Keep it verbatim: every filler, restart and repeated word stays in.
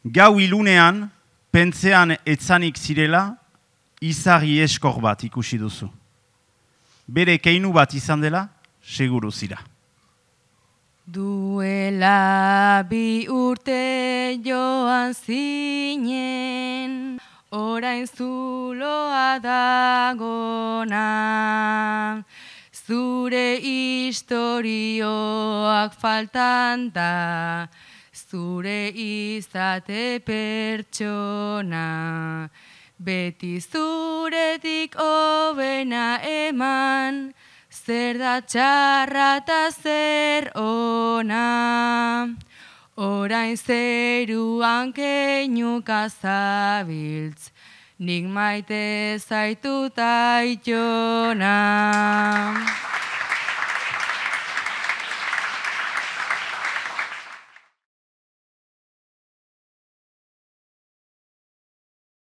Gau ilunean, pentzean etzanik zirela, izarri eskor bat ikusi duzu. Bere keinu bat izan dela, seguru zira. Duela bi urte joan zinen, orain zuloa dagona. Zure istorioak faltan da, zure izate pertsona. Beti zuretik hobena eman, zer da txarra eta zer ona. Orain zeruan keinuka zabiltz, nik maite zaitut aitona.